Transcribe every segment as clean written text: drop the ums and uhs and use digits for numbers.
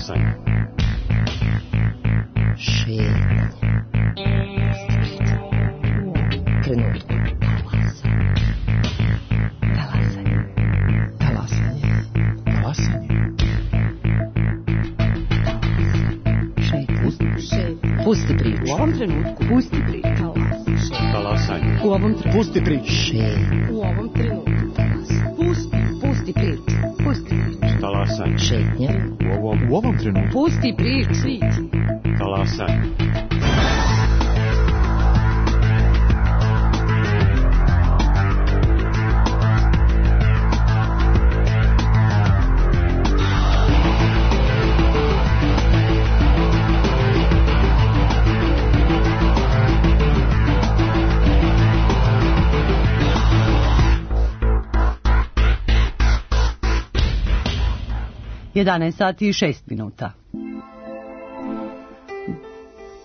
Talasanje. Šetnja. Trenutku. Talasanje. Talasanje. Talasanje. Pusti priču. U ovom trenutku. Pusti priču. Talasanje. U ovom trenutku. Pusti priču. U ovom trenutku. Pusti priču. Pusti priču. Talasanje. Šetnja. U ovom trenutku. Pusti priču. Talasanje. Sati i 6 minuta.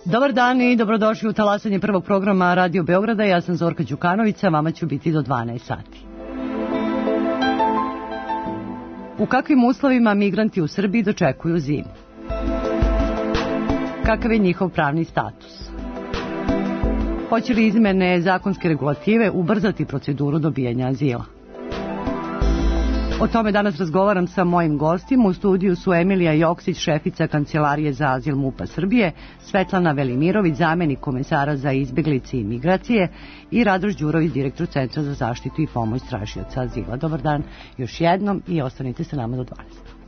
Dobar dan i dobrodošli u talasanje prvog programa Radio Beograda. Ja sam Zorka Đukanović, a vama ću biti do 12 sati. U kakvim uslovima migranti u Srbiji dočekuju zimu? Kakav je njihov pravni status? Hoće li izmene zakonske regulative ubrzati proceduru dobijanja azila? O tome danas razgovaram sa mojim gostima. U studiju su Emilija Joksić, šefica Kancelarije za azil MUP-a Srbije, Svetlana Velimirović, zamenik komesara za izbjeglice i migracije i Radoš Đurović, direktor Centra za zaštitu i pomoć tražioca azila. Dobar dan još jednom i ostanite sa nama do 12.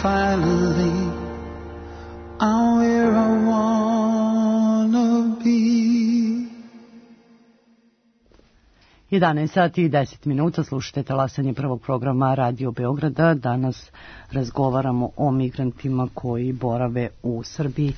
finally I'm where I wanna be. 11 sati i 10 minuta, slušate talasanje prvog programa Radio Beograda. Danas razgovaramo o migrantima koji borave u Srbiji.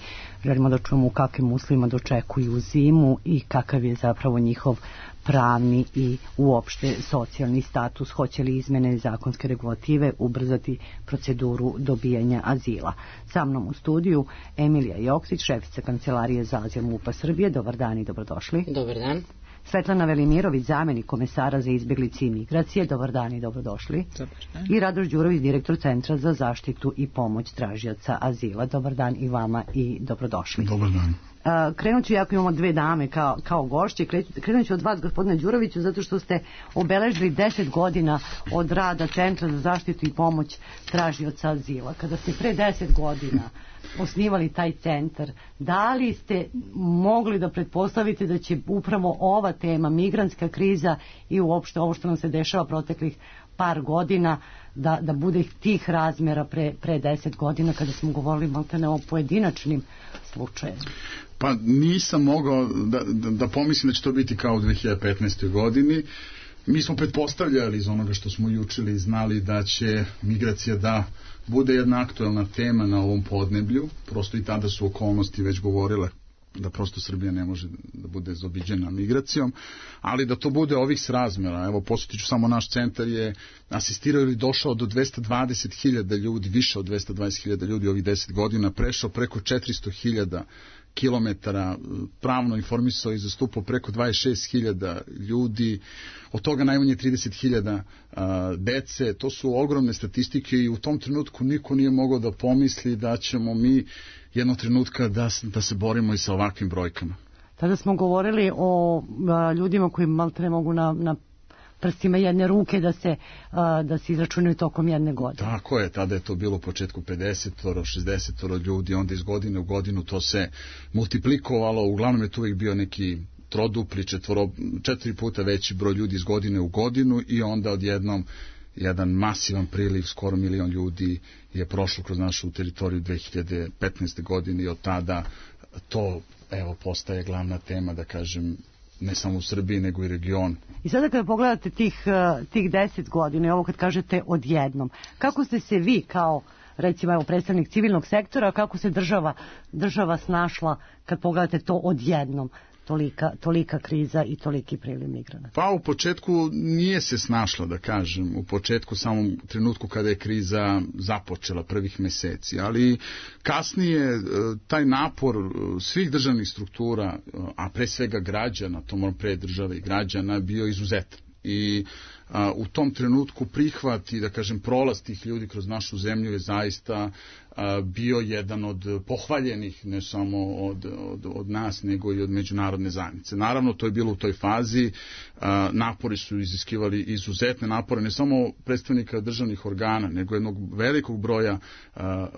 Želimo da čujemo u kakvim uslovima dočekuju zimu i kakav je zapravo njihov pravni i uopšte socijalni status. Hoće li izmene zakonske regulative ubrzati proceduru dobijanja azila? Sa mnom u studiju Emilija Joksić, šefica Kancelarije za azil MUP-a Srbije. Dobar dan i dobrodošli. Dobar dan. Svetlana Velimirović, zamenik komesara za izbjeglice i migracije. Dobar dan i dobrodošli. Dobar dan. I Radoš Đurović, direktor Centra za zaštitu i pomoć tražioca azila. Dobar dan i vama i dobrodošli. Dobar dan. Krenut ću, jako imamo dve dame kao gošće, krenut ću od vas, gospodine Đuroviću, zato što ste obeležili 10 godina od rada Centra za zaštitu i pomoć tražioca azila. Kada ste pre 10 godina osnivali taj centar, da li ste mogli da pretpostavite da će upravo ova tema, migrantska kriza i uopšte ovo što nam se dešava proteklih par godina, da bude tih razmjera pre 10 godina kada smo govorili maltene o pojedinačnim slučajevima? Pa nisam mogao da pomislim da će to biti kao u 2015. godini. Mi smo pretpostavljali iz onoga što smo učili i znali da će migracija da bude jedna aktuelna tema na ovom podneblju. Prosto i tada su okolnosti već govorile da prosto Srbija ne može da bude zaobiđena migracijom, ali da to bude ovih srazmjera. Evo, posjetit ću samo, naš centar je asistirao ili došao do 220.000 ljudi, više od 220.000 ljudi ovih 10 godina, prešao preko 400.000 kilometara, pravno informisao i zastupao preko 26.000 ljudi, od toga najmanje 30.000 dece. To su ogromne statistike i u tom trenutku niko nije mogao da pomisli da ćemo mi jednog trenutka da se borimo i sa ovakvim brojkama. Tada smo govorili o ljudima koji maltene mogu na prstima jedne ruke da se izračunaju tokom jedne godine. Tako je, tada je to bilo u početku 50, 60 ljudi, onda iz godine u godinu to se multiplikovalo, uglavnom je to uvijek bio neki trodupli, 4 puta veći broj ljudi iz godine u godinu i onda odjednom jedan masivan priliv, skoro 1 milion ljudi je prošlo kroz našu teritoriju 2015. godine i od tada to postaje glavna tema, da kažem, ne samo u Srbiji, nego i regionu. I sada kada pogledate tih 10 godina i ovo kad kažete odjednom, kako ste se vi kao, recimo, predstavnik civilnog sektora, kako se država snašla kad pogledate to odjednom? Tolika kriza i toliki priliv migranata. Pa u početku nije se snašla, da kažem, u početku, samom trenutku kada je kriza započela, prvih meseci, ali kasnije taj napor svih državnih struktura, a pre svega građana, to moram pre države i građana, bio izuzetan. I u tom trenutku prihvat i, da kažem, prolaz tih ljudi kroz našu zemlju je zaista bio jedan od pohvaljenih, ne samo od nas, nego i od međunarodne zajednice. Naravno, to je bilo u toj fazi, napori su iziskivali izuzetne napore, ne samo predstavnika državnih organa, nego jednog velikog broja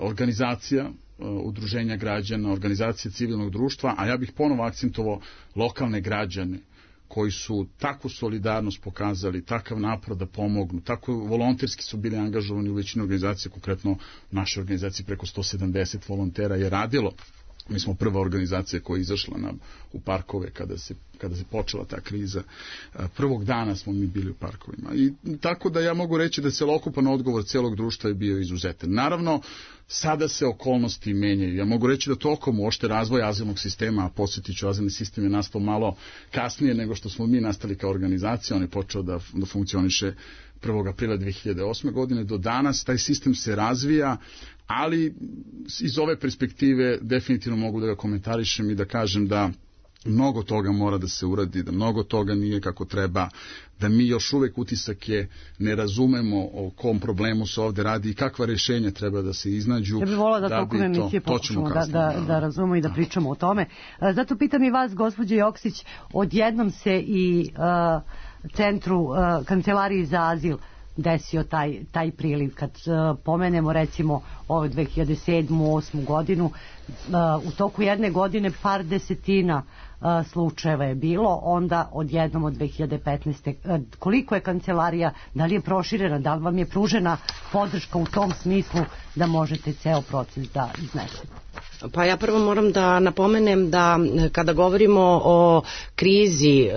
organizacija, udruženja građana, organizacije civilnog društva, a ja bih ponovo akcentovao lokalne građane, koji su takvu solidarnost pokazali, takav napor da pomognu, tako volonterski su bili angažovani u većini organizacije, konkretno u našoj organizaciji preko 170 volontera je radilo. Mi smo prva organizacija koja je izašla u parkove kada se počela ta kriza. Prvog dana smo mi bili u parkovima. I tako da ja mogu reći da celokupan odgovor celog društva je bio izuzetan. Naravno, sada se okolnosti menjaju. Ja mogu reći da tokom uopšte razvoja azilnog sistema, a podsjetit ću, azilni sistem je nastao malo kasnije nego što smo mi nastali kao organizacija. On je počeo da funkcioniše 1. aprila 2008. godine. Do danas taj sistem se razvija, ali iz ove perspektive definitivno mogu da ga komentarišem i da kažem da mnogo toga mora da se uradi, da mnogo toga nije kako treba, da mi još uvek utisak je ne razumemo o kom problemu se ovde radi i kakva rješenja treba da se iznađu. Ja bih volila da tokom emisije pokušamo da razumemo i da pričamo o tome. Zato pitam i vas, gospođo Joksić, odjednom se i centru Kancelariji za azil desio taj priliv. Kad pomenemo recimo ovu 2007. 2008. godinu, u toku jedne godine par desetina slučajeva je bilo, onda odjednom od 2015. Koliko je kancelarija, da li je proširena, da li vam je pružena podrška u tom smislu da možete ceo proces da iznesete? Pa ja prvo moram da napomenem da kada govorimo o krizi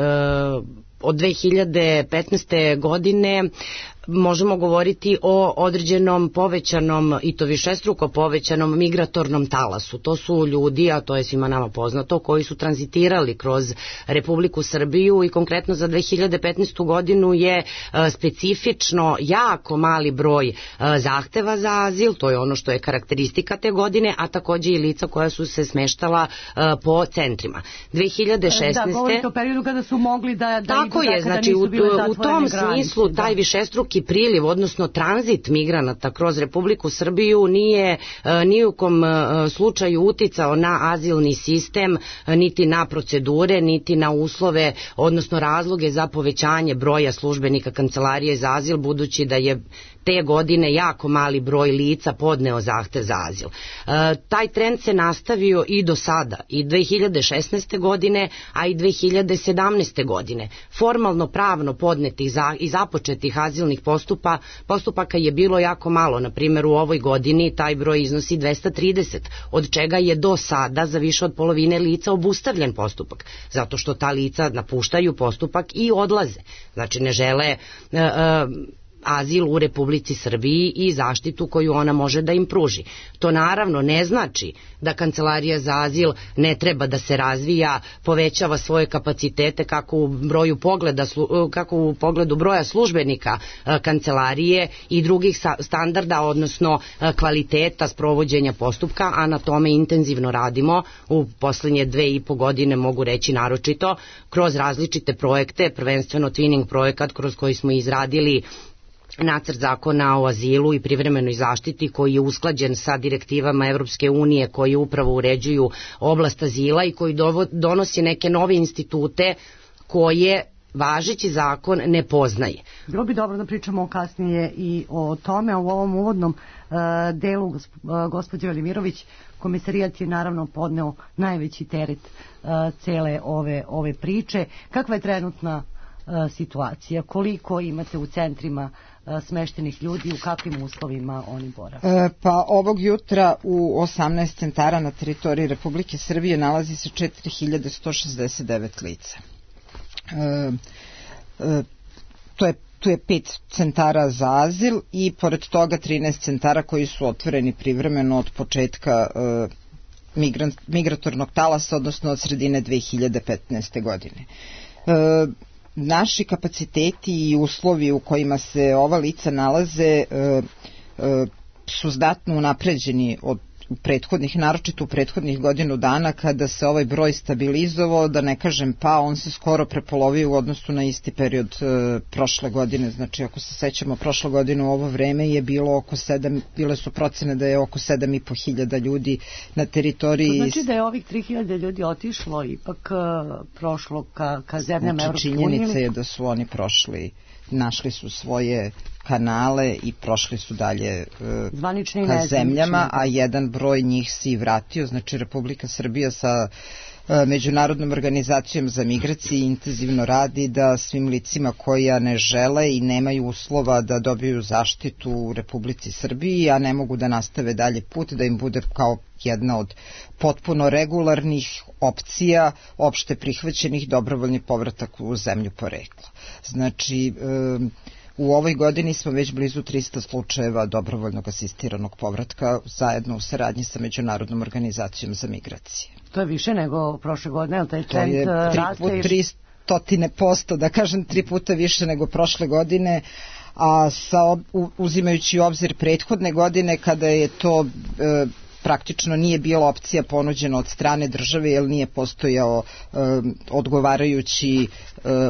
od 2015. godine, možemo govoriti o određenom povećanom, i to višestruko povećanom migratornom talasu. To su ljudi, a to je svima nama poznato, koji su tranzitirali kroz Republiku Srbiju i konkretno za 2015. godinu je specifično jako mali broj zahteva za azil, to je ono što je karakteristika te godine, a takođe i lica koja su se smeštala po centrima. 2016. Da, govorite o periodu kada su mogli da tako je, znači u tom smislu taj višestruki priliv, odnosno tranzit migranata kroz Republiku Srbiju nije ni u kom slučaju uticao na azilni sistem, niti na procedure, niti na uslove, odnosno razloge za povećanje broja službenika Kancelarije za azil, budući da je te godine jako mali broj lica podneo zahtev za azil. Taj trend se nastavio i do sada, i 2016. godine, a i 2017. godine. Formalno pravno podnetih i započetih azilnih postupaka je bilo jako malo. Na primjer, u ovoj godini taj broj iznosi 230, od čega je do sada za više od polovine lica obustavljen postupak, zato što ta lica napuštaju postupak i odlaze. Znači ne žele azil u Republici Srbiji i zaštitu koju ona može da im pruži. To naravno ne znači da Kancelarija za azil ne treba da se razvija, povećava svoje kapacitete kako u pogledu broja službenika kancelarije i drugih standarda, odnosno kvaliteta sprovođenja postupka, a na tome intenzivno radimo u poslednje 2,5 godine, mogu reći naročito, kroz različite projekte, prvenstveno Twinning projekat kroz koji smo izradili nacrt zakona o azilu i privremenoj zaštiti koji je usklađen sa direktivama Evropske unije koji upravo uređuju oblast azila i koji donosi neke nove institute koje važeći zakon ne poznaje. Bilo bi dobro da pričamo kasnije i o tome. U ovom uvodnom delu, gospođe Velimirović, Komisarijat je naravno podneo najveći teret cele ove priče. Kakva je trenutna situacija? Koliko imate u centrima smeštenih ljudi, u kakvim uslovima oni borave? Pa ovog jutra u 18 centara na teritoriji Republike Srbije nalazi se 4169 lica. Tu je 5 centara za azil i pored toga 13 centara koji su otvoreni privremeno od početka migratornog talasa, odnosno od sredine 2015. godine. Naši kapaciteti i uslovi u kojima se ova lica nalaze su znatno unapređeni od naročito u prethodnih godinu dana kada se ovaj broj stabilizovao, da ne kažem pa, on se skoro prepolovio u odnosu na isti period prošle godine. Znači ako se sećamo, prošle godine u ovo vreme je bilo oko 7, bile su procene da je oko 7.500 ljudi na teritoriji. To znači da je ovih 3.000 ljudi otišlo, ipak prošlo ka zemljama Evropske unije? Činjenica je da su oni prošli, našli su svoje kanale i prošli su dalje ka zemljama, a jedan broj njih se i vratio. Znači Republika Srbija sa Međunarodnom organizacijom za migracije intenzivno radi da svim licima koja ne žele i nemaju uslova da dobiju zaštitu u Republici Srbiji, a ne mogu da nastave dalje put, da im bude kao jedna od potpuno regularnih opcija opšte prihvaćenih dobrovoljni povratak u zemlju porekla. Znači, u ovoj godini smo već blizu 300 slučajeva dobrovoljnog asistiranog povratka zajedno u saradnji sa Međunarodnom organizacijom za migracije. To je više nego prošle godine, taj trend raste? To je 300%, da kažem 3 puta više nego prošle godine, a uzimajući u obzir prethodne godine kada je to praktično nije bila opcija ponuđena od strane države jer nije postojao odgovarajući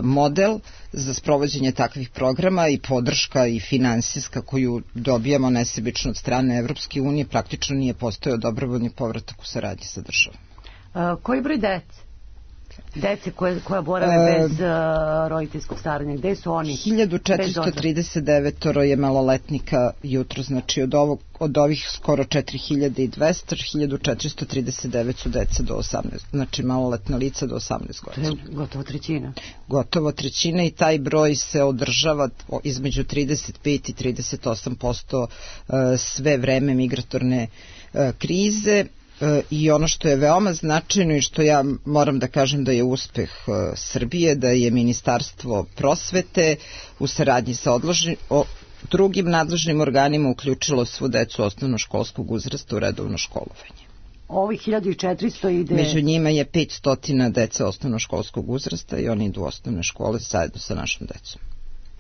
model za sprovođenje takvih programa i podrška i finansijska koju dobijamo nesebično od strane Evropske unije, praktično nije postojao dobrovoljni povratak u saradnji sa državom. Koji broj dece Dece koja borave bez roditeljskog staranja, gde su oni? 1439 je maloletnika jutro, znači od ovih skoro 4200, 1439 su deca do 18, znači maloletna lica do 18 godina. Gotovo trećina. Gotovo trećina i taj broj se održava između 35 i 38% sve vreme migratorne krize. I ono što je veoma značajno i što ja moram da kažem da je uspeh Srbije, da je Ministarstvo prosvete u saradnji sa drugim nadležnim organima uključilo svu decu osnovnoškolskog uzrasta u redovno školovanje. Ovih 1400 ide... Među njima je 500 dece osnovnoškolskog uzrasta i oni idu u osnovne škole zajedno sa našom decom.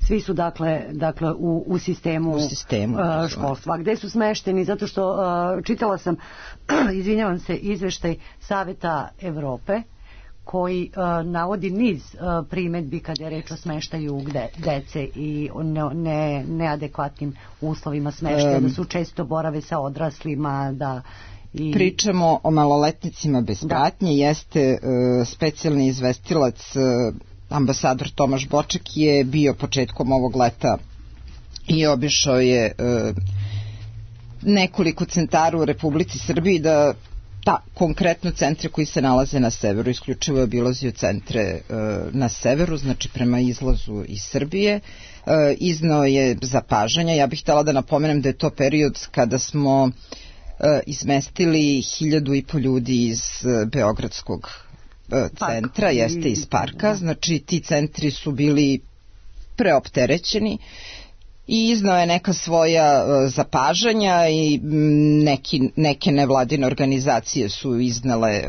Svi su dakle u sistemu školstva. Gde su smešteni? Zato što čitala sam, izvinjavam se, izveštaj Saveta Evrope koji navodi niz primedbi kada je reč o smeštaju dece i neadekvatnim uslovima smeštaja, da su često borave sa odraslima, da... Pričamo o maloletnicima bez pratnje, jeste specijalni izvestilac ambasador Tomaš Boček je bio početkom ovog leta i obišao je nekoliko centara u Republici Srbiji, da konkretno centre koji se nalaze na severu, isključivo je obilazio centre na severu, znači prema izlazu iz Srbije, iznao je zapažanja. Ja bih htjela da napomenem da je to period kada smo izmestili 1.500 ljudi iz Beogradskog centra, jeste iz parka, znači ti centri su bili preopterećeni i iznao je neka svoja zapažanja i neke nevladine organizacije su iznale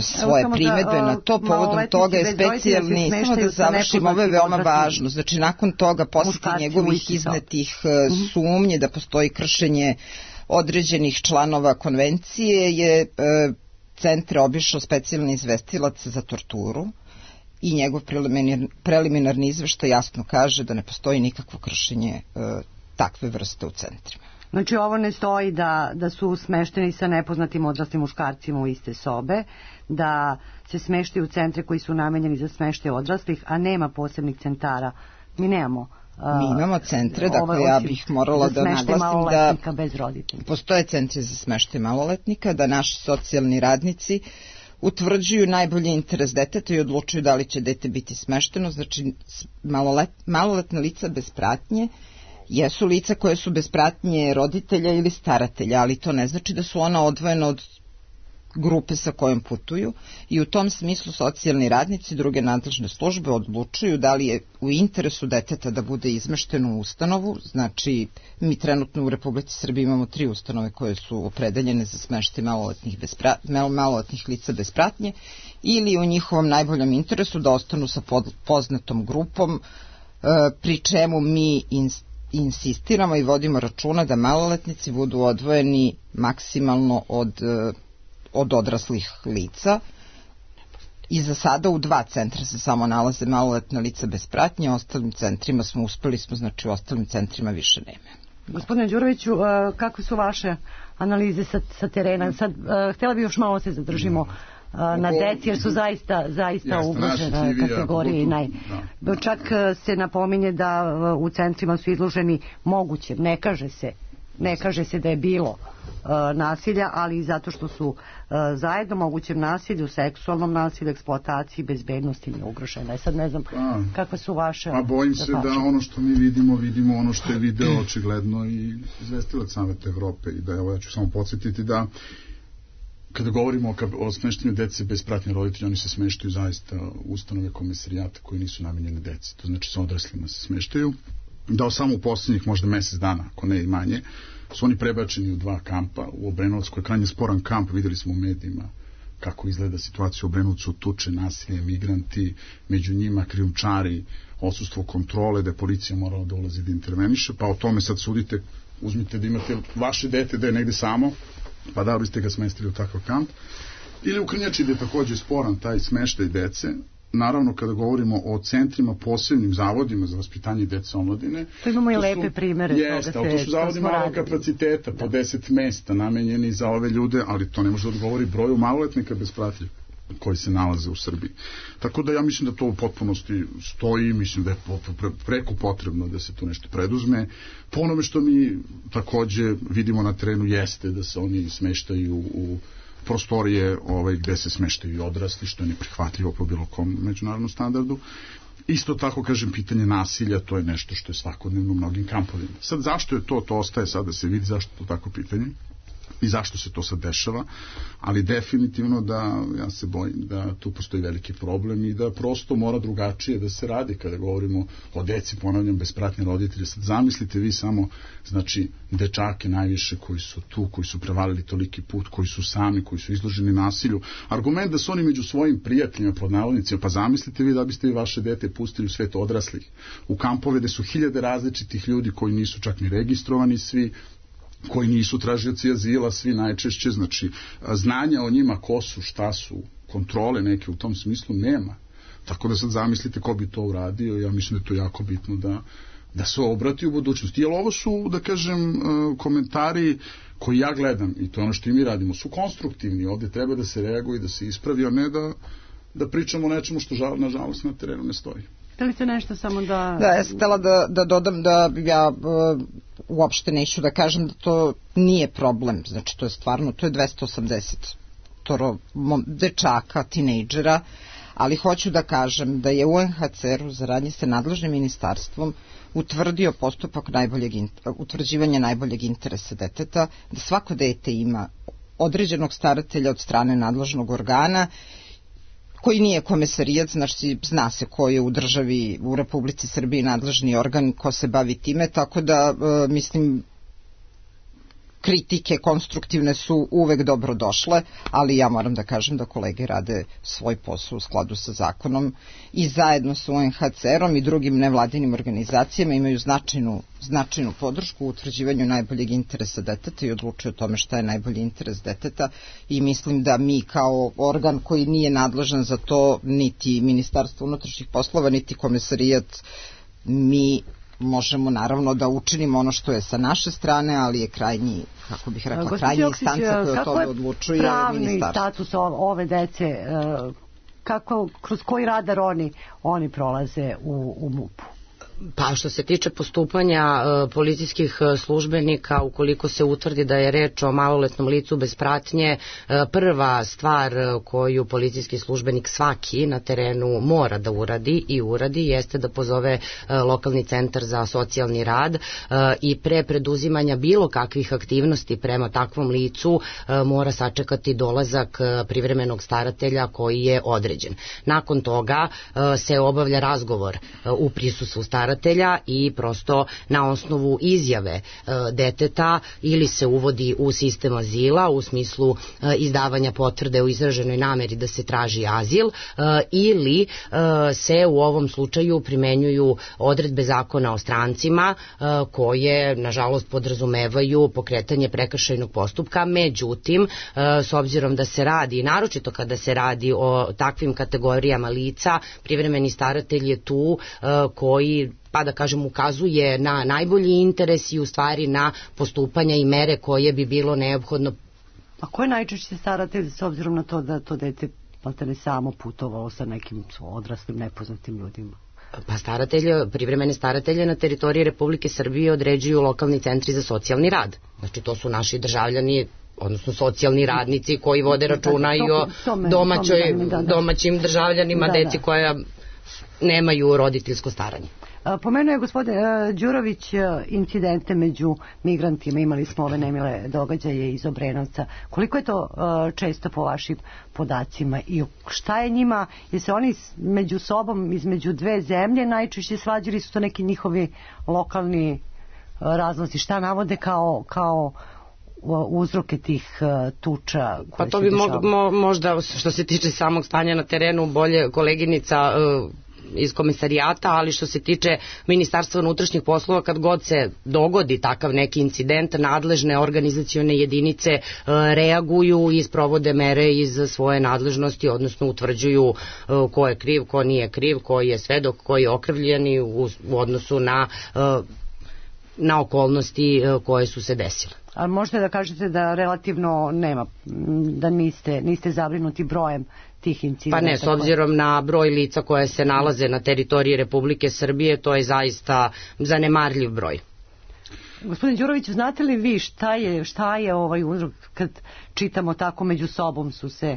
svoje primedbe na to. Povodom toga je specijalni, samo da završim, ovo je veoma važno, znači nakon toga posle njegovih iznetih sumnje da postoji kršenje određenih članova konvencije je centre obišao specijalni izvestilac za torturu i njegov preliminarni izveštaj jasno kaže da ne postoji nikakvo kršenje takve vrste u centrima. Znači ovo ne stoji da su smešteni sa nepoznatim odraslim muškarcima u iste sobe, da se smeštaju u centre koji su namenjeni za smeštaj odraslih, a nema posebnih centara. Mi nemamo. Mi imamo centre, dakle ja bih morala da naglasim da postoje centri za smeštaj maloletnika, da naši socijalni radnici utvrđuju najbolji interes deteta i odlučuju da li će dete biti smešteno. Znači maloletna lica bez pratnje jesu lica koje su bez pratnje roditelja ili staratelja, ali to ne znači da su ona odvojena od grupe sa kojom putuju i u tom smislu socijalni radnici i druge nadležne službe odlučuju da li je u interesu deteta da bude izmešteno u ustanovu. Znači mi trenutno u Republici Srbiji imamo 3 ustanove koje su opredeljene za smeštaj maloletnih lica bez pratnje, ili u njihovom najboljem interesu da ostanu sa poznatom grupom, pri čemu mi insistiramo i vodimo računa da maloletnici budu odvojeni maksimalno od odraslih lica. I za sada u 2 centra se samo nalaze maloletna lica bez pratnje, ostalim centrima znači u ostalim centrima više nema. Gospodine Đuroviću, kakve su vaše analize sa terena? Sad, htjela bi još malo se zadržimo na deci, jer su zaista ugrožena kategorije. Čak se napominje da u centrima su izloženi moguće, ne kaže se da je bilo nasilja, ali zato što su zajedno mogućem nasilju, seksualnom nasilju, eksploataciji, bezbednosti nije ugrožena. Sad ne znam kakve su vaše... Bojim se da ono što mi vidimo ono što je video očigledno i izvestilac Saveta Evrope, i da ja ću samo podsjetiti da kada govorimo o smeštenju dece bez pratnje roditelja, oni se smeštaju zaista u ustanove komisarijata koji nisu namenjene deci, to znači sa odraslima se smeštaju. Da samo u posljednjih možda mesec dana, ako ne i manje, su oni prebačeni u 2 kampa. U Obrenovcu, koji je krajnje sporan kamp, videli smo u medijima kako izgleda situacija u Obrenovcu, tuče, nasilje, migranti, među njima krijumčari, odsustvo kontrole, da je policija morala da ulazi da interveniše, pa o tome sad sudite, uzmite da imate vaše dete da je negde samo, pa da biste ga smestili u takav kamp. Ili u Krnjači, da je takođe sporan taj smeštaj dece. Naravno, kada govorimo o centrima, posebnim zavodima za vaspitanje dece omladine... To imamo i lepe primere. Jeste, ali to su zavodi malog kapaciteta, po 10 mesta namenjeni za ove ljude, ali to ne može da odgovori broju maloletnika bez pratnje. koji se nalaze u Srbiji. Tako da ja mislim da to u potpunosti stoji, mislim da je preko potrebno da se tu nešto preduzme. Po onome što mi takođe vidimo na terenu jeste da se oni smeštaju u prostorije gde se smeštaju i odrasli, što je neprihvatljivo po bilo kom međunarodnom standardu. Isto tako, kažem, pitanje nasilja, to je nešto što je svakodnevno u mnogim kampovima. Sad, zašto je to ostaje sad da se vidi, zašto to tako pitanje i zašto se to sad dešava, ali definitivno da ja se bojim da tu postoji veliki problem i da prosto mora drugačije da se radi kada govorimo o deci, ponavljam, bez pratnje roditelja. Sad zamislite vi samo, znači, dečake najviše koji su tu, koji su prevalili toliki put, koji su sami, koji su izloženi nasilju. Argument da su oni među svojim prijateljima, pod navodnicima, pa zamislite vi da biste vi vaše dete pustili u svet odraslih, u kampove gde su hiljade različitih ljudi koji nisu čak ni registrovani svi, koji nisu tražioci azila, svi najčešće, znači znanja o njima ko su, šta su, kontrole neke u tom smislu nema. Tako da sad zamislite ko bi to uradio, ja mislim da je to jako bitno da se obrati u budućnosti. Jer ovo su, da kažem, komentari koji ja gledam, i to ono što i mi radimo, su konstruktivni, ovde treba da se reaguje i da se ispravi, a ne da pričamo o nečemu što nažalost na terenu ne stoji. Htjeli nešto samo da... Da, ja sam htjela da dodam da ja uopšte neću da kažem da to nije problem, znači to je stvarno, to je 280 dečaka, tinejdžera, ali hoću da kažem da je UNHCR u saradnji sa nadležnim ministarstvom utvrdio postupak utvrđivanja najboljeg interesa deteta, da svako dete ima određenog staratelja od strane nadležnog organa koji nije komesarijat, znači zna se ko je u državi, u Republici Srbiji nadležni organ, ko se bavi time, tako da mislim kritike konstruktivne su uvek dobro došle, ali ja moram da kažem da kolege rade svoj posao u skladu sa zakonom i zajedno sa UNHCR-om i drugim nevladinim organizacijama imaju značajnu podršku u utvrđivanju najboljeg interesa deteta i odlučuju o tome šta je najbolji interes deteta i mislim da mi kao organ koji nije nadležan za to, niti Ministarstvo unutrašnjih poslova, niti komesarijat, mi možemo naravno da učinimo ono što je sa naše strane, ali je krajnji, kako bih rekla, krajnja instanca koja o tome odlučuje. Kako je pravni status ove dece, kroz koji radar oni prolaze u MUP-u? Pa što se tiče postupanja policijskih službenika, ukoliko se utvrdi da je reč o maloletnom licu bez pratnje, prva stvar koju policijski službenik svaki na terenu mora da uradi jeste da pozove lokalni centar za socijalni rad i pre preduzimanja bilo kakvih aktivnosti prema takvom licu mora sačekati dolazak privremenog staratelja koji je određen. Nakon toga se obavlja razgovor u prisustvu staratelja i prosto na osnovu izjave deteta ili se uvodi u sistem azila u smislu izdavanja potvrde u izraženoj nameri da se traži azil ili se u ovom slučaju primenjuju odredbe zakona o strancima koje nažalost podrazumevaju pokretanje prekršajnog postupka. Međutim, s obzirom da se radi, naročito kada se radi o takvim kategorijama lica, privremeni staratelj je tu koji, pa da kažem, ukazuje na najbolji interes i u stvari na postupanja i mere koje bi bilo neophodno. A ko je najčešće staratelj s obzirom na to da to dete ne samo putovalo sa nekim odraslim nepoznatim ljudima? Pa privremene staratelje na teritoriji Republike Srbije određuju lokalni centri za socijalni rad. Znači to su naši državljani, odnosno socijalni radnici koji vode računa i o domaćim državljanima, deci koja nemaju roditeljsko staranje. Pomenuo je gospodin Đurović incidente među migrantima, imali smo ove nemile događaje iz Obrenovca. Koliko je to često po vašim podacima i šta je njima, jer se oni među sobom, između dve zemlje najčešće svađali, su to neki njihovi lokalni razlozi, šta navode kao uzroke tih tuča? Pa to bi možda što se tiče samog stanja na terenu bolje koleginica iz komisarijata, ali što se tiče Ministarstva unutrašnjih poslova, kad god se dogodi takav neki incident, nadležne organizacione jedinice reaguju i sprovode mere iz svoje nadležnosti, odnosno utvrđuju ko je kriv, ko nije kriv, ko je svedok, ko je okrivljeni u odnosu na okolnosti koje su se desile. Ali možete da kažete da relativno nema, da niste zabrinuti brojem tih incidenata? Pa ne, s obzirom na broj lica koje se nalaze na teritoriji Republike Srbije, to je zaista zanemarljiv broj. Gospodin Đurović, znate li vi šta je ovaj uzrok kad čitamo tako među sobom su se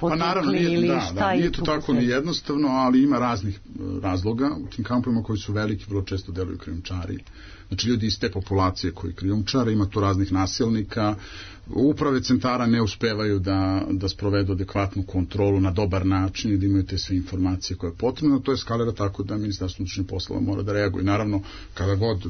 pa naravno, nije to tako ni jednostavno, ali ima raznih razloga u tim kampovima koji su veliki, vrlo često deluju krijumčari. Znači ljudi iz te populacije koji krijumčare, ima tu raznih nasilnika, uprave centara ne uspevaju da sprovedu adekvatnu kontrolu na dobar način i da imaju te sve informacije koje je potrebno, to eskalira tako da Ministarstvo unutrašnjih poslova mora da reaguje. Naravno, kada god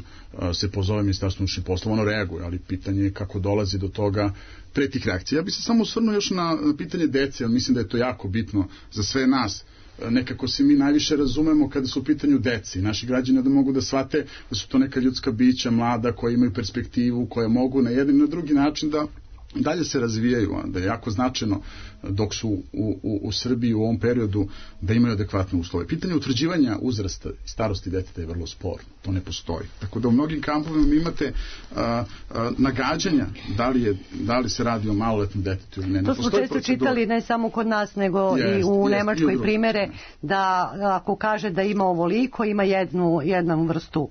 se pozove Ministarstvo unutrašnjih poslova, ono reaguje, ali pitanje je kako dolazi do toga pre tih reakcija. Ja bih se samo osvrnuo još na pitanje dece, ali mislim da je to jako bitno za sve nas. Nekako se mi najviše razumemo kada su u pitanju deci. Naši građani da mogu da shvate da su to neka ljudska bića, mlada, koja imaju perspektivu, koja mogu na jedan i na drugi način da dalje se razvijaju, da je jako značajno dok su u Srbiji u ovom periodu da imaju adekvatne uslove. Pitanje utvrđivanja uzrasta i starosti deteta je vrlo sporno, to ne postoji. Tako da u mnogim kampovima imate nagađanja da li se radi o maloletnom detetu ili ne. To smo često čitali ne samo kod nas nego i u Nemačkoj primere da ako kaže da ima ovoliko ima jednu vrstu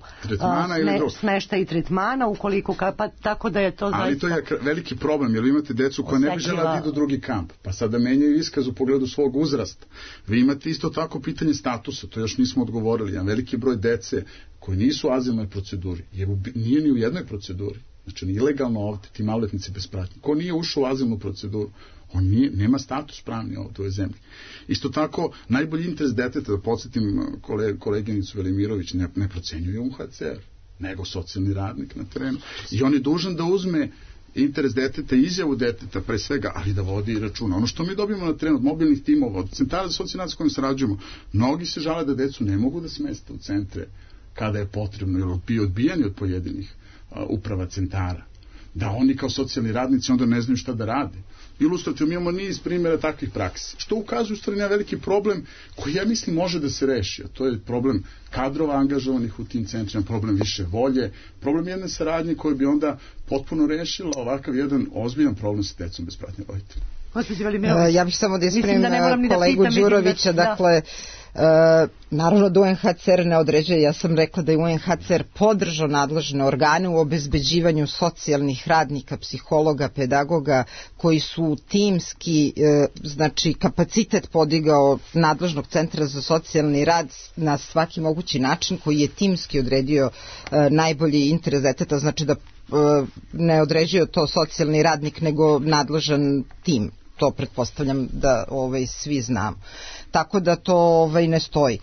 smešta i tretmana ukoliko pa tako da je to zaista... Ali to je veliki problem jer imate decu koja ne bi žela da idu u drugi kamp pa sada menjaju iskaz u pogledu svog uzrasta. Vi imate isto tako pitanje statusa, to još nismo odgovorili. Jedan veliki broj dece koji nisu u azilnoj proceduri, nije ni u jednoj proceduri. Znači, ilegalno ovdje, ti maloletnici bez pratnje. Ko nije ušao u azilnu proceduru, on nema status pravni ovdje u ovoj zemlji. Isto tako, najbolji interes deteta, da podsjetim koleginicu Velimirović, ne procenjuje UNHCR, nego socijalni radnik na terenu. I on je dužan da uzme interes deteta, izjavu deteta pre svega, ali da vodi računa. Ono što mi dobijemo na terenu od mobilnih timova, od centara za socijalni rad s kojim sarađujemo, mnogi se žale da decu ne mogu da smeste u centre kada je potrebno, jer bi odbijani od pojedinih uprava centara. Da oni kao socijalni radnici onda ne znaju šta da rade. Ilustrativno imamo niz primjera takvih praksi. Što ukazuje u stvari na veliki problem koji ja mislim može da se reši. A to je problem kadrova angažovanih u tim centrima, problem više volje, problem jedne saradnje koje bi onda potpuno rešila ovakav jedan ozbiljan problem sa decom bez pratnje roditelja. Ja bih samo da ispravim kolegu Đurovića, dakle, naravno da UNHCR ne određuje, ja sam rekla da je UNHCR podržao nadležne organe u obezbeđivanju socijalnih radnika, psihologa, pedagoga koji su timski, znači kapacitet podigao nadležnog centra za socijalni rad na svaki mogući način koji je timski odredio najbolji interes deteta, znači da ne određuje to socijalni radnik nego nadležan tim. To pretpostavljam da svi znamo. Tako da to ne stoji.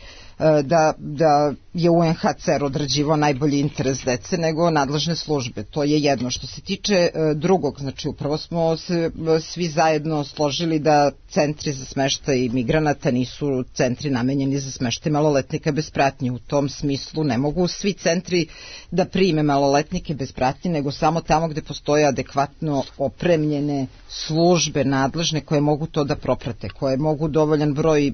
Da je UNHCR određivao najbolji interes dece nego nadležne službe. To je jedno. Što se tiče drugog, znači upravo smo se svi zajedno složili da centri za smeštaj migranata nisu centri namenjeni za smeštaj maloletnika bez pratnje. U tom smislu ne mogu svi centri da prime maloletnike bez pratnje, nego samo tamo gde postoje adekvatno opremljene službe nadležne koje mogu to da proprate, koje mogu dovoljan broj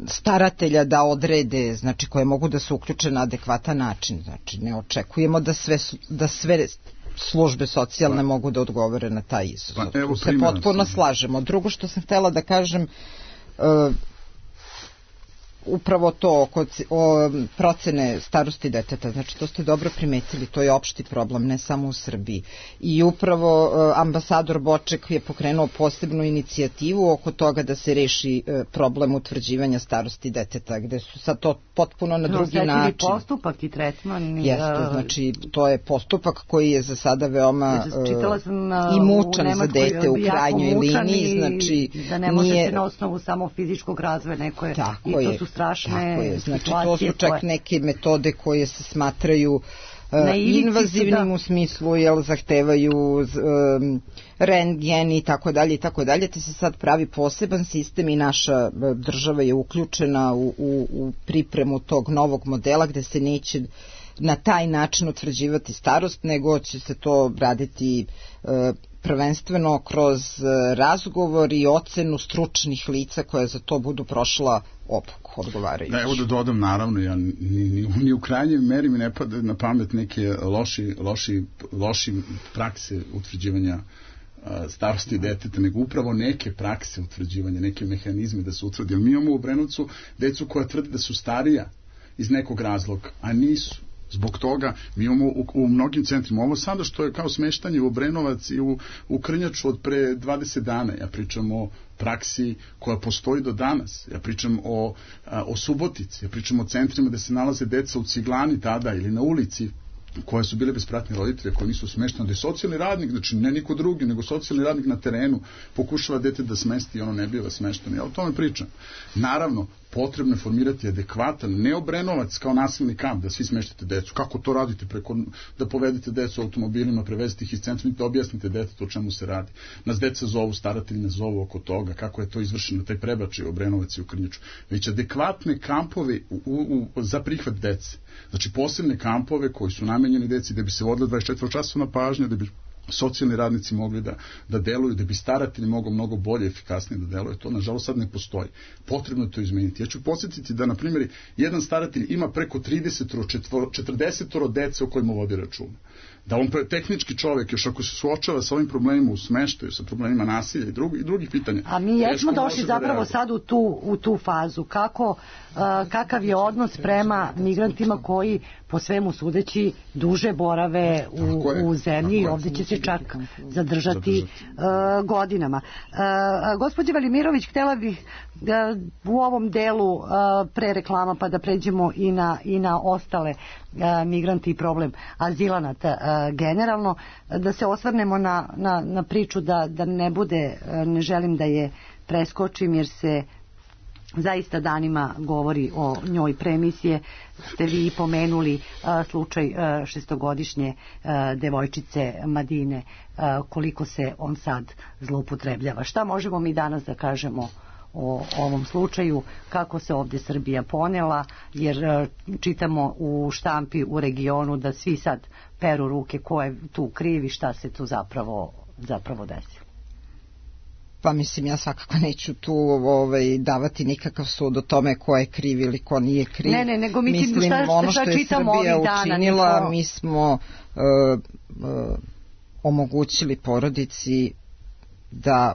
staratelja da odrede, znači koje mogu da se uključe na adekvatan način. Znači ne očekujemo da sve službe socijalne mogu da odgovore na taj izazov. Tu se potpuno slažemo. Drugo što sam htjela da kažem, upravo to o procene starosti deteta, znači to ste dobro primetili, to je opšti problem, ne samo u Srbiji. I upravo ambasador Boček je pokrenuo posebnu inicijativu oko toga da se reši problem utvrđivanja starosti deteta, gde su sad to potpuno na drugi način. Postupak i tretman. Jeste, znači to je postupak koji je za sada veoma i mučan za dete u krajnjoj liniji. Znači, da ne možete na osnovu samo fizičkog razvoja neko je, i to su strašne znači to su čak neke metode koje se smatraju invazivnim u smislu, jer zahtevaju rentgen i tako dalje, te se sad pravi poseban sistem i naša država je uključena u pripremu tog novog modela gde se neće na taj način utvrđivati starost, nego će se to raditi prvenstveno kroz razgovor i ocenu stručnih lica koja za to budu prošla obuku odgovarajući. Da, evo da dodam, naravno, ja ni u krajnjoj meri mi ne pada na pamet neke loši prakse utvrđivanja starosti deteta, nego upravo neke prakse utvrđivanja, neke mehanizme da se utvrdi. Jer mi imamo u Obrenovcu decu koja tvrde da su starija iz nekog razloga, a nisu. Zbog toga mi imamo u mnogim centrima ovo sada što je kao smeštanje u Obrenovac i u Krnjaču od pre 20 dana. Ja pričam o praksi koja postoji do danas. Ja pričam o Subotici, ja pričam o centrima gde se nalaze deca u Ciglani tada ili na ulici koje su bile bespratni roditelji, koji nisu smešteni, da je socijalni radnik, znači ne niko drugi, nego socijalni radnik na terenu pokušava dete da smesti i ono ne biva smešteno. Ja o tome pričam. Naravno, potrebno je formirati adekvatan, ne Obrenovac kao nasilni kamp, da svi smeštate decu. Kako to radite? Da povedete decu automobilima, prevezite ih iz centra, da objasnite detetu o čemu se radi. Nas deca zovu, staratelji nas zovu oko toga, kako je to izvršeno, taj prebačaj u Obrenovac i u Krnjaču. Već adekvatne kampove za prihvat dece. Znači posebne kampove koji su namenjeni deci da bi se vodila 24-časovna pažnja, da bi socijalni radnici mogli da deluju, da bi staratelji mogli mnogo bolje i efikasnije da deluje. To, nažalost, sad ne postoji. Potrebno je to izmeniti. Ja ću podsjetiti da, na primjer, jedan staratelj ima preko 30-40 dece o kojima vodi računa. Da on tehnički čovjek, još ako se suočava sa ovim problemima u smeštaju, sa problemima nasilja i drugih pitanja. A mi jesmo došli zapravo sad u tu fazu. Kakav je odnos prema migrantima koji po svemu sudeći duže borave u zemlji i ovdje će se čak zadržati godinama. Gospođa Velimirović, htjela bih u ovom delu pre reklama pa da pređemo i na ostale migranti i problem azilanata generalno, da se osvrnemo na priču da ne bude, ne želim da je preskočim jer se zaista danima govori o njoj. Premisije ste vi pomenuli slučaj šestogodišnje devojčice Madine, koliko se on sad zloupotrebljava. Šta možemo mi danas da kažemo o ovom slučaju, kako se ovdje Srbija ponela, jer čitamo u štampi u regionu da svi sad peru ruke ko je tu krivi, šta se tu zapravo desilo. Pa mislim, ja svakako neću tu davati nikakav sud o tome ko je kriv ili ko nije kriv. Ne, nego mislim ono što je Srbija učinila, mi smo omogućili porodici da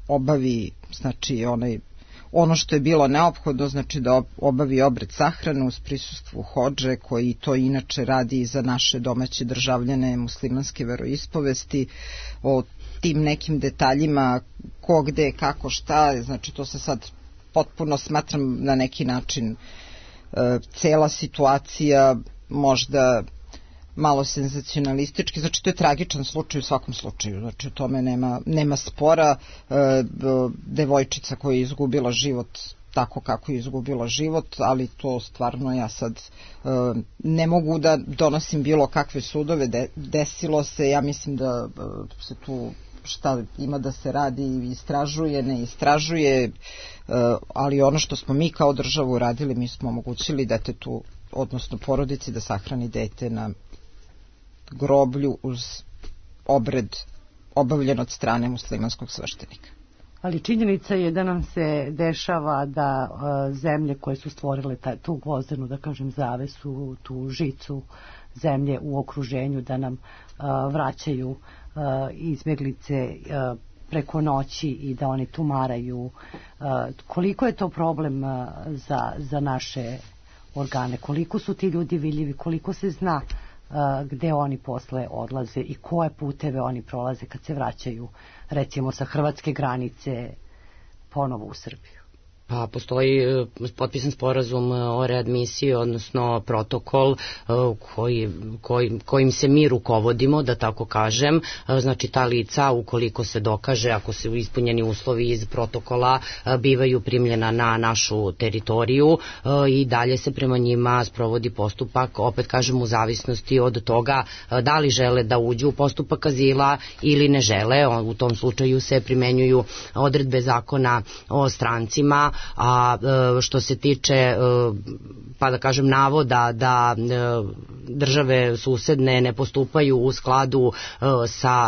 obavi, znači ono što je bilo neophodno, znači da obavi obred sahrane uz prisustvu hodže, koji to inače radi i za naše domaće državljane muslimanske veroispovesti. O tim nekim detaljima, ko gde, kako, šta, znači to se sad potpuno smatram na neki način cela situacija možda malo senzacionalistički, znači to je tragičan slučaj u svakom slučaju, znači o tome nema spora. Devojčica koja je izgubila život tako kako je izgubila život, ali to stvarno ja sad ne mogu da donosim bilo kakve sudove. Desilo se, ja mislim da se tu šta ima da se radi, istražuje, ne istražuje, ali ono što smo mi kao državu uradili, mi smo omogućili detetu, odnosno porodici, da sahrani dete na groblju uz obred obavljen od strane muslimanskog sveštenika. Ali činjenica je da nam se dešava da zemlje koje su stvorile tu gvozdenu, da kažem, zavesu, tu žicu zemlje u okruženju, da nam vraćaju izbjeglice preko noći i da oni tumaraju. Koliko je to problem za naše organe? Koliko su ti ljudi vidljivi? Koliko se zna gde oni posle odlaze i koje puteve oni prolaze kad se vraćaju, recimo sa hrvatske granice ponovo u Srbiju? Pa postoji potpisan sporazum o readmisiji, odnosno protokol kojim se mi rukovodimo, da tako kažem. Znači ta lica, ukoliko se dokaže, ako su ispunjeni uslovi iz protokola, bivaju primljena na našu teritoriju i dalje se prema njima sprovodi postupak, opet kažem, u zavisnosti od toga da li žele da uđu u postupak azila ili ne žele. U tom slučaju se primenjuju odredbe zakona o strancima. A što se tiče, pa da kažem, navoda da države susedne ne postupaju u skladu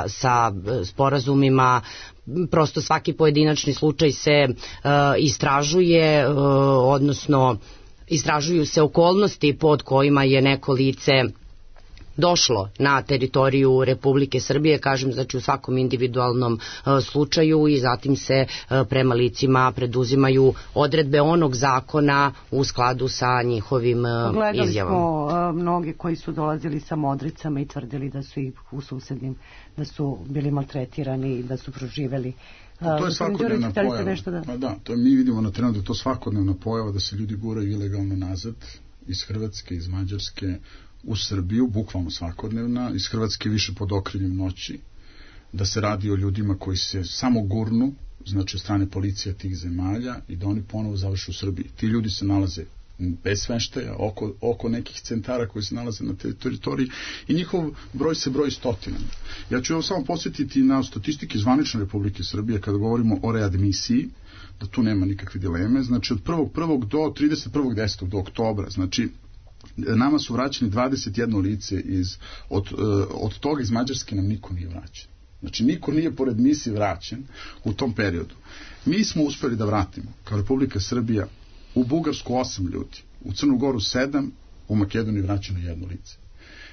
sa sporazumima, prosto svaki pojedinačni slučaj se istražuje, odnosno istražuju se okolnosti pod kojima je neko lice došlo na teritoriju Republike Srbije, kažem, znači u svakom individualnom slučaju, i zatim se prema licima preduzimaju odredbe onog zakona u skladu sa njihovim izjavama. Gledali smo mnogi koji su dolazili sa modricama i tvrdili da su ih u susednim, da su bili maltretirani i da su proživeli. To je svakodnevna pojava. Pa da, to mi vidimo na terenu da je to svakodnevna pojava, da se ljudi guraju ilegalno nazad iz Hrvatske, iz Mađarske u Srbiju, bukvalno svakodnevna, iz Hrvatske više pod okriljem noći, da se radi o ljudima koji se samo gurnu, znači od strane policija tih zemalja, i da oni ponovo završu u Srbiji. Ti ljudi se nalaze bez smeštaja, oko nekih centara koji se nalaze na teritoriji, i njihov broj se broji stotinama. Ja ću samo posjetiti na statistike zvanične Republike Srbije kada govorimo o readmisiji, da tu nema nikakve dileme. Znači od 1.1. do 31.10. do oktobra, znači nama su vraćeni 21 lice od toga iz Mađarske nam niko nije vraćen. Znači niko nije pored misije vraćen u tom periodu. Mi smo uspeli da vratimo kao Republika Srbija u Bugarsku 8 ljudi, u Crnu Goru 7, u Makedoniji vraćeno 1 lice.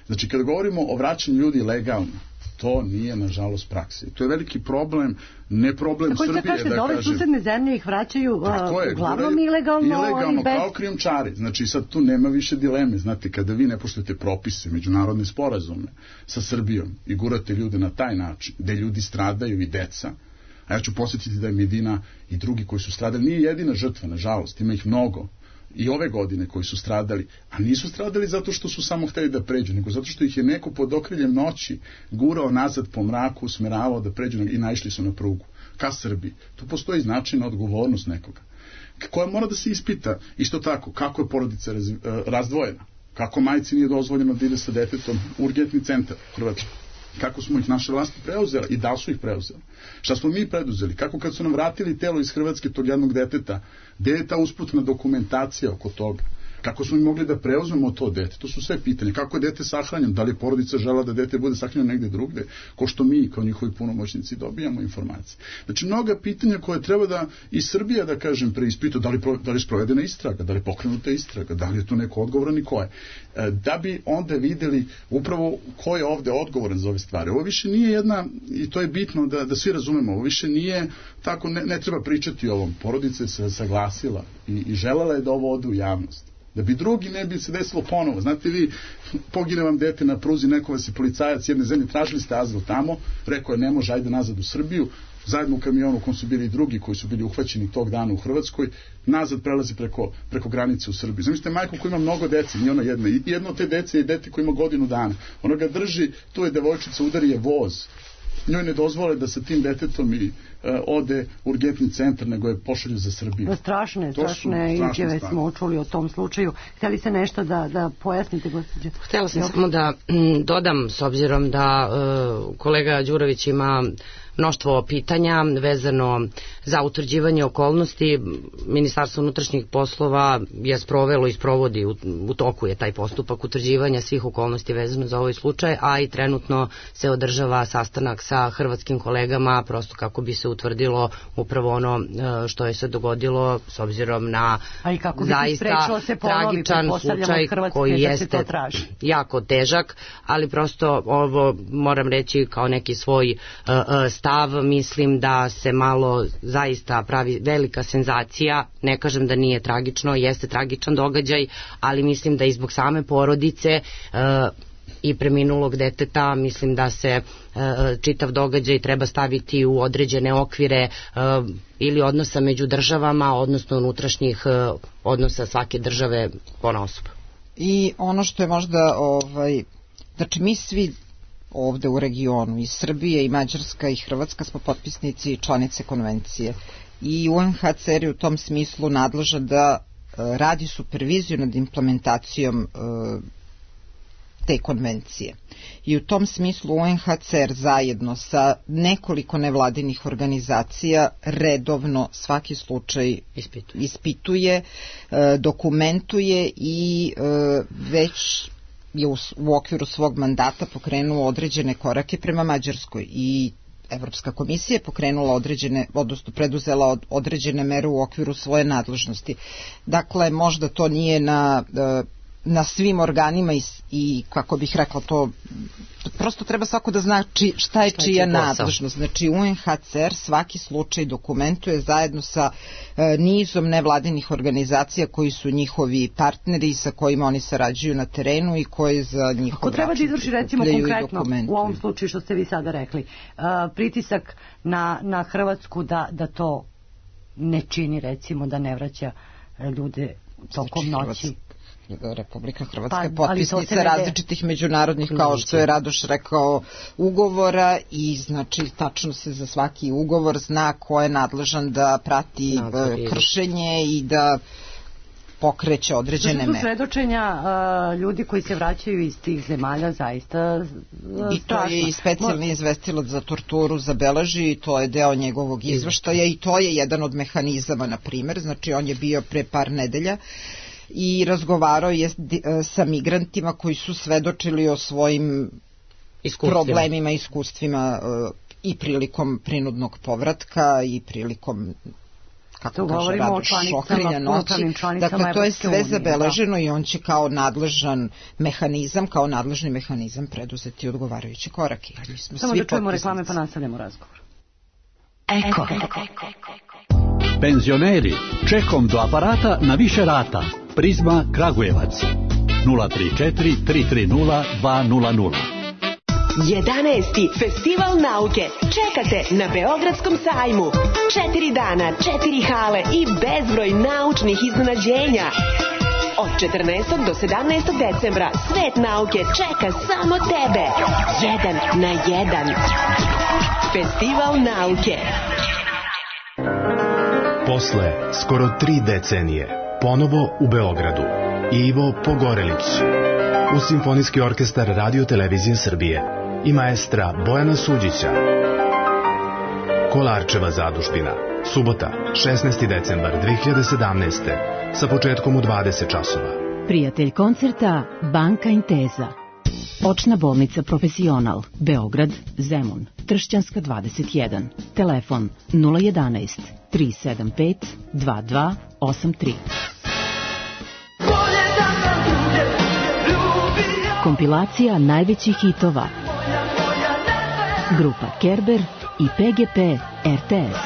Znači kada govorimo o vraćanju ljudi legalno, to nije nažalost praksa. To je veliki problem, ne problem Srbije, da kažem. Da ove susedne zemlje ih vraćaju uglavnom ilegalno kao krijumčari. Znači sad tu nema više dileme. Znate, kada vi ne poštujete propise, međunarodne sporazume sa Srbijom i gurate ljude na taj način, gde ljudi stradaju i deca, a ja ću posjetiti da je Medina i drugi koji su stradali, nije jedina žrtva, nažalost, ima ih mnogo i ove godine koji su stradali, a nisu stradali zato što su samo hteli da pređu, nego zato što ih je neko pod okriljem noći gurao nazad po mraku, usmeravao da pređu i naišli su na prugu ka Srbiji. Tu postoji značajna odgovornost nekoga koja mora da se ispita. Isto tako, kako je porodica razdvojena, kako majci nije dozvoljeno da ide sa detetom u urgentni centar u Hrvatskoj, kako smo ih naše vlasti preuzeli i da su ih preuzeli. Šta smo mi preduzeli? Kako kad su nam vratili telo iz Hrvatske tog jednog deteta, gde je ta usputna dokumentacija oko toga? Kako smo mi mogli da preuzmemo to dete? To su sve pitanje. Kako je dete sahranjeno? Da li je porodica žela da dete bude sahranjeno negde drugde? Ko što mi, kao njihovi punomoćnici, dobijamo informacije. Znači, mnoga pitanja koje treba da i Srbija, da kažem, preispita, da li je sprovedena istraga, da li je pokrenuta istraga, da li je to neko odgovoran i ko je. Da bi onda videli upravo ko je ovde odgovoran za ove stvari. Ovo više nije jedna, i to je bitno da svi razumemo, ovo više nije tako, ne treba pričati o ovom. Porodica se saglasila i želela je da ovo ode u javnost. Da bi drugi ne bi se desilo ponovo. Znate vi, pogine vam dete na pruzi, neko vas je policajac jedne zemlje, tražili ste azil tamo, rekao je ne može, ajde nazad u Srbiju, zajedno u kamionu u kom su bili i drugi koji su bili uhvaćeni tog dana u Hrvatskoj, nazad prelazi preko granice u Srbiju. Zamislite majku koja ima mnogo dece, nije ona jedna, i jedno od te dece je dete koje ima godinu dana. Ona ga drži, tu je devojčica, udari je voz. Njoj ne dozvole da sa tim detetom ode u urgentni centar, nego je pošalju za Srbiju. Strašne izjave smo čuli o tom slučaju. Htjeli se nešto da pojasnite, gospođo? Htjela sam samo da dodam, s obzirom da kolega Đurović ima mnoštvo pitanja vezano za utvrđivanje okolnosti. Ministarstvo unutrašnjih poslova je sprovelo i sprovodi, u toku je taj postupak utvrđivanja svih okolnosti vezano za ovaj slučaj, a i trenutno se održava sastanak sa hrvatskim kolegama, prosto kako bi se utvrdilo upravo ono što je se dogodilo, s obzirom na zaista tragičan slučaj koji jeste jako težak, ali prosto ovo moram reći kao neki svoj stav, mislim da se malo zaista pravi velika senzacija, ne kažem da nije tragično, jeste tragičan događaj, ali mislim da i zbog same porodice i preminulog deteta, mislim da se čitav događaj treba staviti u određene okvire ili odnosa među državama, odnosno unutrašnjih odnosa svake države ponaosob. I ono što je možda, znači mi svi ovde u regionu, i Srbije, i Mađarska, i Hrvatska smo potpisnici i članice konvencije. I UNHCR je u tom smislu nadležan da radi superviziju nad implementacijom te konvencije. I u tom smislu UNHCR zajedno sa nekoliko nevladinih organizacija redovno svaki slučaj ispituje, dokumentuje i već je u okviru svog mandata pokrenuo određene korake prema Mađarskoj i Evropska komisija je pokrenula određene, odnosno preduzela određene mere u okviru svoje nadležnosti. Dakle, možda to nije na svim organima i kako bih rekla to, prosto treba svako da zna šta je čija nadležnost. Znači UNHCR svaki slučaj dokumentuje zajedno sa nizom nevladinih organizacija koji su njihovi partneri sa kojima oni sarađuju na terenu i koji za njihov račun treba da izvrši recimo konkretno u ovom slučaju što ste vi sada rekli, pritisak na Hrvatsku da to ne čini, recimo da ne vraća ljude tokom noći. Republika Hrvatska je potpisnica različitih međunarodnih, kao što je Radoš rekao, ugovora i znači tačno se za svaki ugovor zna ko je nadležan da prati kršenje i da pokreće određene mere. To su svedočenja ljudi koji se vraćaju iz tih zemalja zaista strašno. I to je i specijalni izvestilac za torturu zabeleži i to je deo njegovog izveštaja i to je jedan od mehanizama, na primer, znači on je bio pre par nedelja i razgovarao je sa migrantima koji su svedočili o svojim problemima, iskustvima i prilikom prinudnog povratka i prilikom, kako kaže Radoš, šokrenja noći. Dakle, to je sve zabeleženo i on će kao nadležan mehanizam, kao nadležni mehanizam preduzeti odgovarajuće korake. Samo da čujemo reklame pa nastavljamo razgovor. Eko. Penzioneri, čekom do aparata na više rata. Prizma Kragujevac 034 330 200. 11. Festival nauke čekate na Beogradskom sajmu. 4 dana, 4 hale i bezbroj naučnih iznenađenja. Od 14. do 17. decembra svet nauke čeka samo tebe. 1 na 1. Festival nauke. Posle skoro 3 decenije ponovo u Beogradu Ivo Pogorelić uz Simfonijski orkestar Radio Televizije Srbije i maestra Bojana Suđića. Kolarčeva zadužbina, subota 16. decembar 2017. sa početkom u 20 časova. Prijatelj koncerta Banka Inteza. Očna bolnica Profesional, Beograd, Zemun, Tršćanska 21. Telefon 011 375 2283. Kompilacija najvećih hitova. Grupa Kerber i PGP RTS.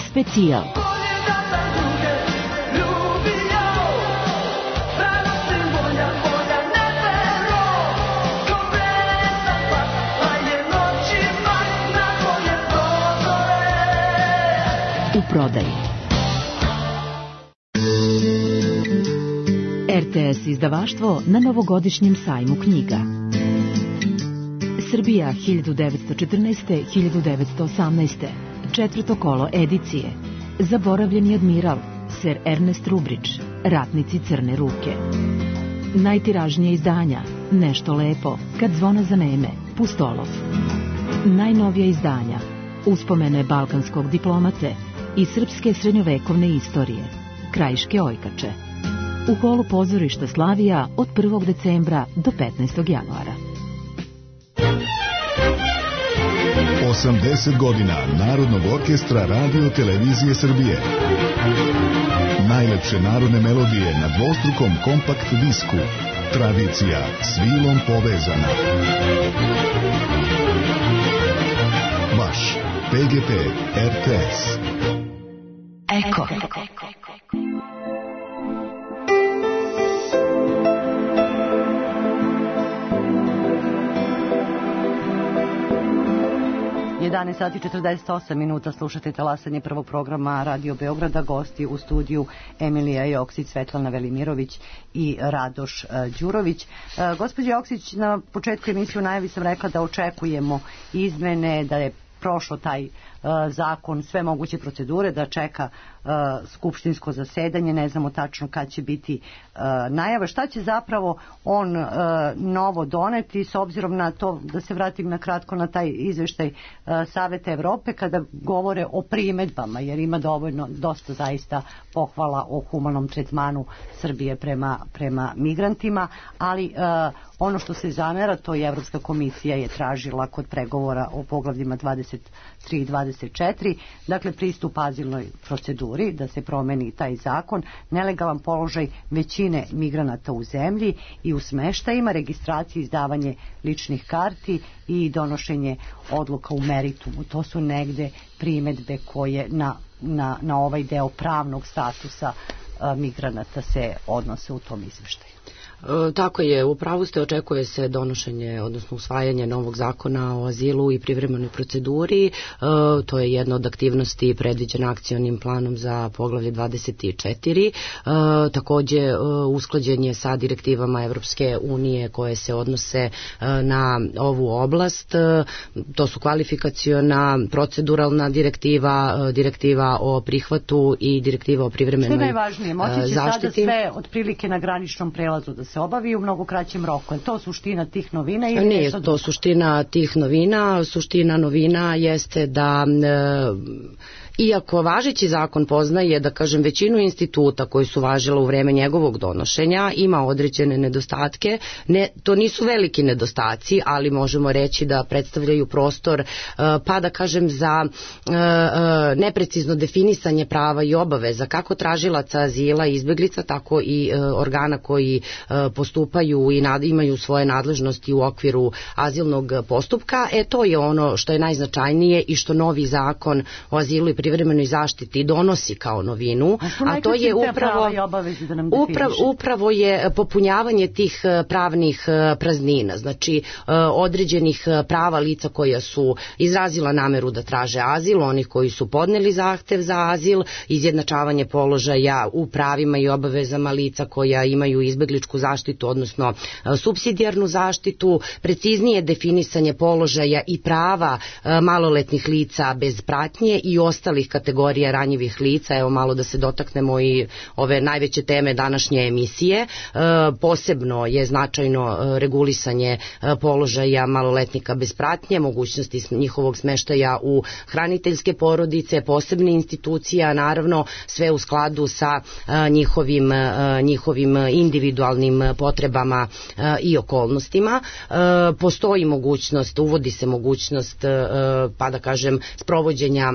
Specijal. U prodaji. RTS izdavaštvo na novogodišnjem sajmu knjiga. Srbija 1914-1918. Četvrto kolo edicije. Zaboravljeni admiral, Sir Ernest Rubridge, Ratnici crne ruke. Najtiražnije izdanja, Nešto lepo, Kad zvona zaneme, Pustolov. Najnovija izdanja, Uspomene balkanskog diplomate i srpske srednjovekovne istorije, Krajiške ojkače. U holu pozorišta Slavija od 1. decembra do 15. januara. 80 godina Narodnog orkestra Radio Televizije Srbije. Najlepše narodne melodije na dvostrukom kompakt disku. Tradicija s vilom povezana. Vaš PGP RTS. Eko. 11 sati 48 minuta slušate talasanje prvog programa Radio Beograda. Gosti u studiju Emilija Joksić, Svetlana Velimirović i Radoš Đurović. Gospođo Joksić, na početku emisije u najavi sam rekla da očekujemo izmene, da je prošlo taj zakon, sve moguće procedure, da čeka skupštinsko zasedanje, ne znamo tačno kad će biti najava. Šta će zapravo on novo doneti, s obzirom na to, da se vratim na kratko na taj izveštaj Saveta Evrope, kada govore o primedbama, jer ima dosta zaista pohvala o humanom tretmanu Srbije prema migrantima, ali ono što se zamera, to je Evropska komisija je tražila kod pregovora o poglavljima 23 i 24 24, dakle pristup azilnoj proceduri, da se promeni taj zakon, nelegalan položaj većine migranata u zemlji i u smeštajima, registracija, izdavanje ličnih karti i donošenje odluka u meritumu. To su negde primedbe koje na ovaj deo pravnog statusa migranata se odnose u tom izveštaju. Tako je, upravo ste, očekuje se donošenje, odnosno usvajanje novog zakona o azilu i privremenoj proceduri. To je jedna od aktivnosti predviđena akcionim planom za poglavlje 24. Takođe, usklađen je sa direktivama Evropske unije koje se odnose na ovu oblast. To su kvalifikaciona, proceduralna direktiva, direktiva o prihvatu i direktiva o privremenoj zaštiti. Što je najvažnije, moći će sada sve otprilike na graničnom prelazu da se obavi u mnogo kraćem roku. Je to suština tih novina? Ili nije to suština tih novina. Suština novina jeste da iako važeći zakon poznaje, da kažem, većinu instituta koji su važila u vreme njegovog donošenja, ima određene nedostatke. To nisu veliki nedostaci, ali možemo reći da predstavljaju prostor, pa da kažem, za neprecizno definisanje prava i obaveza kako tražilaca azila i izbeglica, tako i organa koji postupaju i imaju svoje nadležnosti u okviru azilnog postupka. To je ono što je najznačajnije i što novi zakon o azilu i privremenoj zaštiti donosi kao novinu, a to je upravo je popunjavanje tih pravnih praznina, znači određenih prava lica koja su izrazila nameru da traže azil, onih koji su podneli zahtev za azil, izjednačavanje položaja u pravima i obavezama lica koja imaju izbegličku zaštitu, odnosno supsidijarnu zaštitu, preciznije definisanje položaja i prava maloletnih lica bez pratnje i ostalih kategorija ranjivih lica. Evo malo da se dotaknemo i ove najveće teme današnje emisije. Posebno je značajno regulisanje položaja maloletnika bez pratnje, mogućnosti njihovog smeštaja u hraniteljske porodice, posebne institucije, naravno sve u skladu sa njihovim individualnim potrebama i okolnostima. Postoji mogućnost, uvodi se mogućnost, pa da kažem, sprovođenja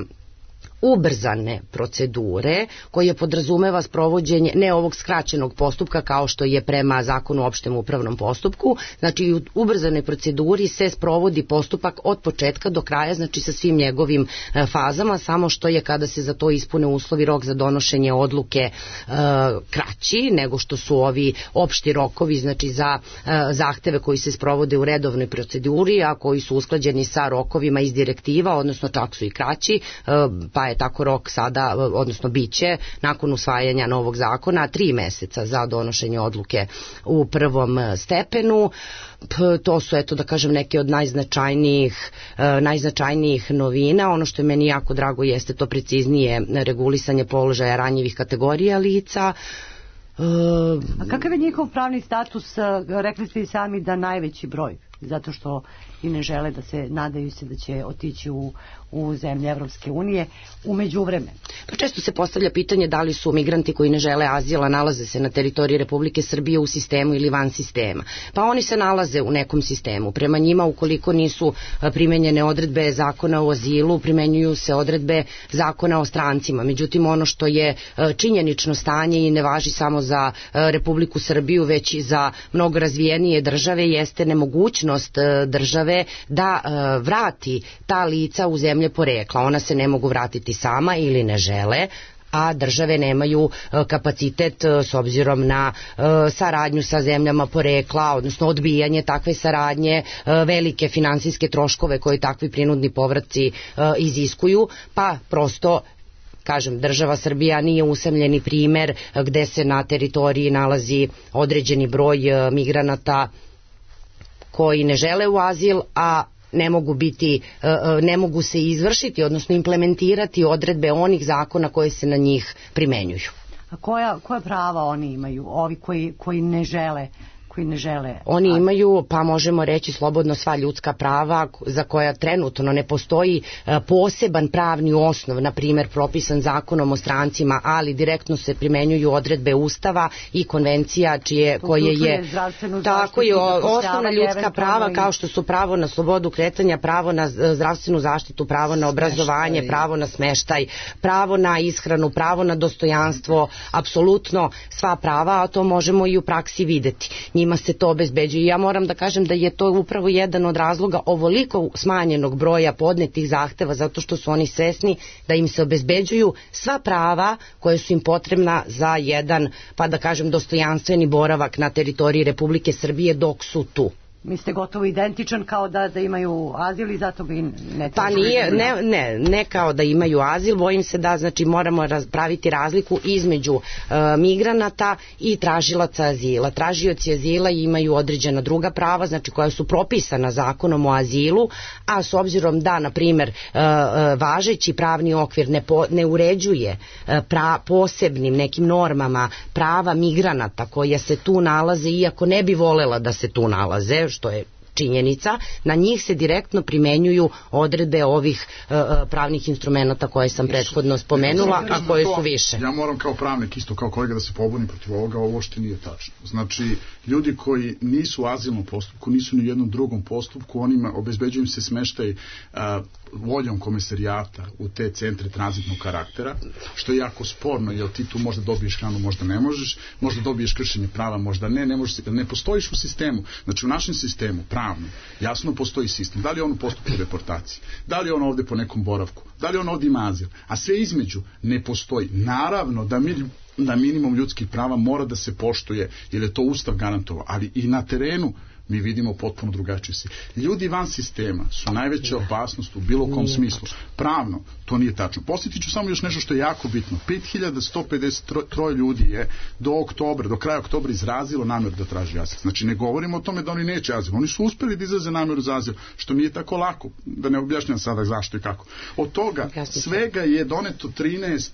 ubrzane procedure koje podrazumeva sprovođenje ne ovog skraćenog postupka kao što je prema zakonu o opštem upravnom postupku, znači u ubrzanoj proceduri se sprovodi postupak od početka do kraja, znači sa svim njegovim fazama, samo što je kada se za to ispune uslovi rok za donošenje odluke kraći nego što su ovi opšti rokovi, znači za zahteve koji se sprovode u redovnoj proceduri, a koji su usklađeni sa rokovima iz direktiva, odnosno čak su i kraći, pa je tako rok sada, odnosno biće nakon usvajanja novog zakona 3 meseca za donošenje odluke u prvom stepenu. To su, eto da kažem, neke od najznačajnijih novina. Ono što je meni jako drago jeste to preciznije regulisanje položaja ranjivih kategorija lica. A kakav je njihov pravni status? Rekli ste i sami da najveći broj, zato što i ne žele da se, nadaju se da će otići u zemlje Evropske unije u međuvremenu. Pa često se postavlja pitanje da li su migranti koji ne žele azila, nalaze se na teritoriji Republike Srbije u sistemu ili van sistema. Pa oni se nalaze u nekom sistemu. Prema njima, ukoliko nisu primenjene odredbe zakona o azilu, primenjuju se odredbe zakona o strancima. Međutim, ono što je činjenično stanje i ne važi samo za Republiku Srbiju, već i za mnogo razvijenije države, jeste nemogućnost države da vrati ta lica u zemlje porekla. Ona se ne mogu vratiti sama ili ne žele, a države nemaju kapacitet s obzirom na saradnju sa zemljama porekla, odnosno odbijanje takve saradnje, velike finansijske troškove koje takvi prinudni povratci iziskuju, pa prosto kažem, država Srbija nije usamljeni primer gde se na teritoriji nalazi određeni broj migranata koji ne žele u azil, a ne mogu se izvršiti, odnosno implementirati odredbe onih zakona koje se na njih primenjuju. A koja prava oni imaju, ovi koji ne žele koji ne žele? Oni imaju, pa možemo reći slobodno, sva ljudska prava za koja trenutno ne postoji poseban pravni osnov, na primjer propisan zakonom o strancima, ali direktno se primenjuju odredbe Ustava i konvencija koje je tako je osnovna ljudska prava, kao što su pravo na slobodu kretanja, pravo na zdravstvenu zaštitu, pravo na obrazovanje, pravo na smeštaj, pravo na ishranu, pravo na dostojanstvo, apsolutno sva prava, a to možemo i u praksi videti. Njima se to obezbeđuje. Ja moram da kažem da je to upravo jedan od razloga ovoliko smanjenog broja podnetih zahteva, zato što su oni svesni da im se obezbeđuju sva prava koje su im potrebna za jedan, pa da kažem, dostojanstveni boravak na teritoriji Republike Srbije dok su tu. Mi ste gotovo identičan kao da imaju azil i zato bi ne... Pa nije, ne kao da imaju azil, bojim se da znači moramo praviti razliku između migranata i tražilaca azila. Tražioci azila imaju određena druga prava, znači koja su propisana zakonom o azilu, a s obzirom da, na primjer, važeći pravni okvir ne uređuje posebnim nekim normama prava migranata koja se tu nalaze, iako ne bi volela da se tu nalaze, što je činjenica, na njih se direktno primenjuju odredbe ovih pravnih instrumenta koje sam prethodno spomenula, a koje su više. Ja moram kao pravnik, isto kao kolega, da se pobunim protiv ovoga, ovo što nije tačno. Znači, ljudi koji nisu u azilnom postupku, nisu ni u jednom drugom postupku, onima obezbeđuju im se smeštaj voljom komesarijata u te centre tranzitnog karaktera, što je jako sporno, jer ti tu možda dobiješ hranu, možda ne možeš, možda dobiješ kršenje prava, možda ne postojiš u sistemu. Znači, u našem sistemu, pravno, jasno postoji sistem. Da li je on u postupku deportacije? Da li je on ovde po nekom boravku? Da li on ovde ima azil? A sve između ne postoji. Naravno da minimum ljudskih prava mora da se poštuje, jer je to Ustav garantovao, ali i na terenu mi vidimo potpuno drugačije se. Ljudi van sistema su najveća opasnost u bilo kom smislu. Pravno, to nije tačno. Posjetit ću samo još nešto što je jako bitno. 5153 ljudi je do kraja oktobra izrazilo namjeru da traži azil. Znači, ne govorimo o tome da oni neće azil. Oni su uspeli da izraze namjeru za azil, što nije tako lako, da ne objašnjam sada zašto i kako. Od toga svega je doneto 13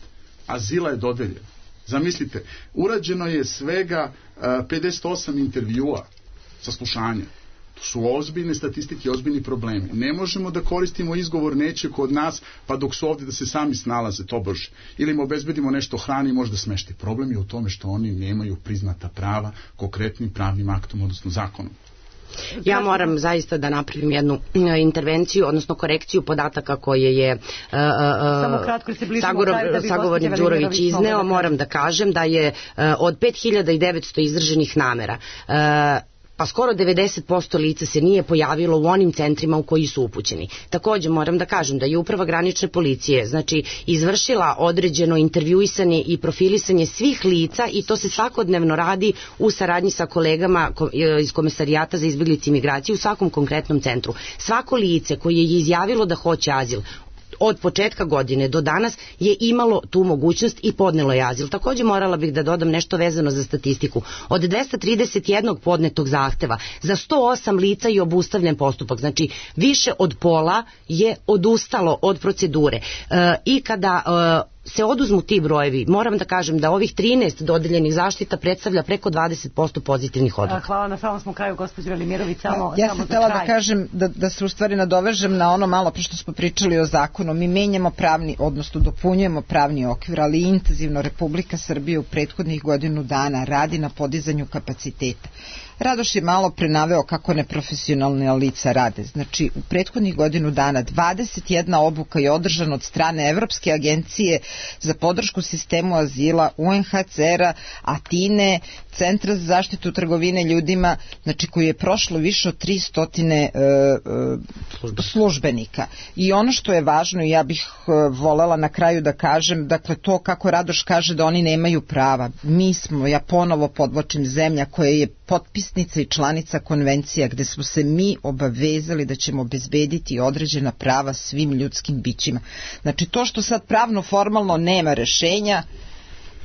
azila je dodeljeno. Zamislite, urađeno je svega 58 intervjua, saslušanja. To su ozbiljne statistike, ozbiljni problemi. Ne možemo da koristimo izgovor neće kod nas, pa dok su ovdje da se sami snalaze, to brže. Ili im obezbedimo nešto hrani i možda smešti. Problem je u tome što oni nemaju priznata prava konkretnim pravnim aktom, odnosno zakonom. Ja moram zaista da napravim jednu intervenciju, odnosno korekciju podataka koje je sagovornik Đurović izneo. Moram da kažem da je od 5900 izraženih namera pa skoro 90% lica se nije pojavilo u onim centrima u koji su upućeni. Također moram da kažem da je Uprava granične policije znači izvršila određeno intervjuisanje i profilisanje svih lica i to se svakodnevno radi u saradnji sa kolegama iz Komesarijata za izbjeglice i migraciju u svakom konkretnom centru. Svako lice koje je izjavilo da hoće azil od početka godine do danas je imalo tu mogućnost i podnelo je azil. Također morala bih da dodam nešto vezano za statistiku. Od 231 podnetog zahteva za 108 lica je obustavljen postupak. Znači više od pola je odustalo od procedure. I kada se oduzmu ti brojevi, moram da kažem da ovih 13 dodeljenih zaštita predstavlja preko 20% pozitivnih odluka. Hvala, na samom smo kraju, gospođo Velimirović, ja sam htjela da kažem, da se u stvari nadovežem na ono malo što smo pričali o zakonu. Mi menjamo pravni, odnosno dopunjujemo pravni okvir, ali intenzivno Republika Srbije u prethodnih godinu dana radi na podizanju kapaciteta. Radoš je malo prenaveo kako neprofesionalne lica rade. Znači, u prethodnih godinu dana 21 obuka je održana od strane Evropske agencije za podršku sistemu azila, UNHCR-a, Atine, Centra za zaštitu trgovine ljudima, znači koji je prošlo više od 300 službenika. I ono što je važno, ja bih volela na kraju da kažem, dakle to kako Radoš kaže da oni nemaju prava. Mi smo, ja ponovo podvlačim, zemlja koja je potpisnica i članica konvencija gde smo se mi obavezali da ćemo obezbediti određena prava svim ljudskim bićima. Znači to što sad pravno formalno nema rešenja,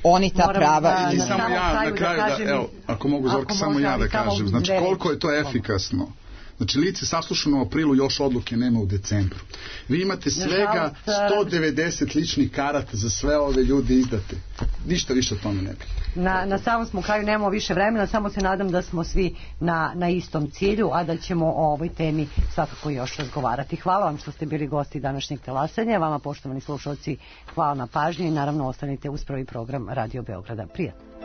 oni ta prava i samo ja na kraju da, evo, ako mogu Zorka, samo ja da kažem, znači koliko je to efikasno. Znači, lice saslušano u aprilu, još odluke nema u decembru. Vi imate svega 190 ličnih karata za sve ove ljude izdate. Ništa više o tome ne bi. Na samom smo kraju, nemamo više vremena, samo se nadam da smo svi na istom cilju, a da ćemo o ovoj temi svakako još razgovarati. Hvala vam što ste bili gosti današnjeg Talasanja, vama poštovani slušalci hvala na pažnji i naravno ostanite uz prvi program Radio Beograda. Prijatno.